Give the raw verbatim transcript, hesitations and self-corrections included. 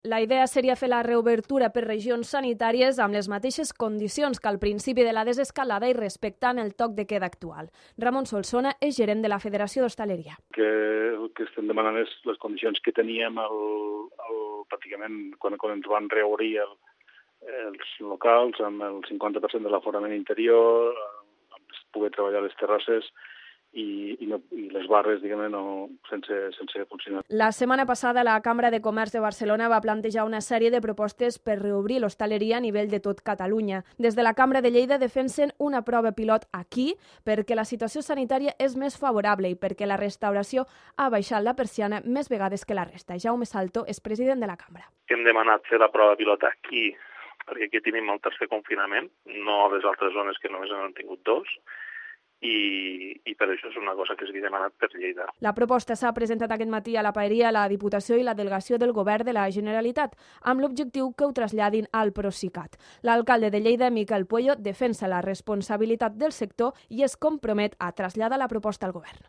La idea seria fer la reobertura per regions sanitàries amb les mateixes condicions que al principi de la desescalada i respectant el toc de queda actual. Ramon Solsona és gerent de la Federació d'Hostaleria. Que el que estem demanant és les condicions que teníem el, el, pràcticament quan, quan ens van reobrir el, els locals amb el cinquanta per cent de l'aforament interior, amb poder treballar a les terrasses, I, i, no, i les barres, diguem-ne, no, sense, sense funcionar. La setmana passada la Cambra de Comerç de Barcelona va plantejar una sèrie de propostes per reobrir l'hostaleria a nivell de tot Catalunya. Des de la Cambra de Lleida defensen una prova pilot aquí perquè la situació sanitària és més favorable i perquè la restauració ha baixat la persiana més vegades que la resta. Jaume Salto és president de la Cambra. Hem demanat fer la prova pilot aquí perquè aquí tenim el tercer confinament, no a les altres zones que només n'han tingut dos. I, i per això és una cosa que s'havia demanat per Lleida. La proposta s'ha presentat aquest matí a la Paeria, a la Diputació i la Delegació del Govern de la Generalitat, amb l'objectiu que ho traslladin al Procicat. L'alcalde de Lleida, Miquel Puello, defensa la responsabilitat del sector i es compromet a traslladar la proposta al govern.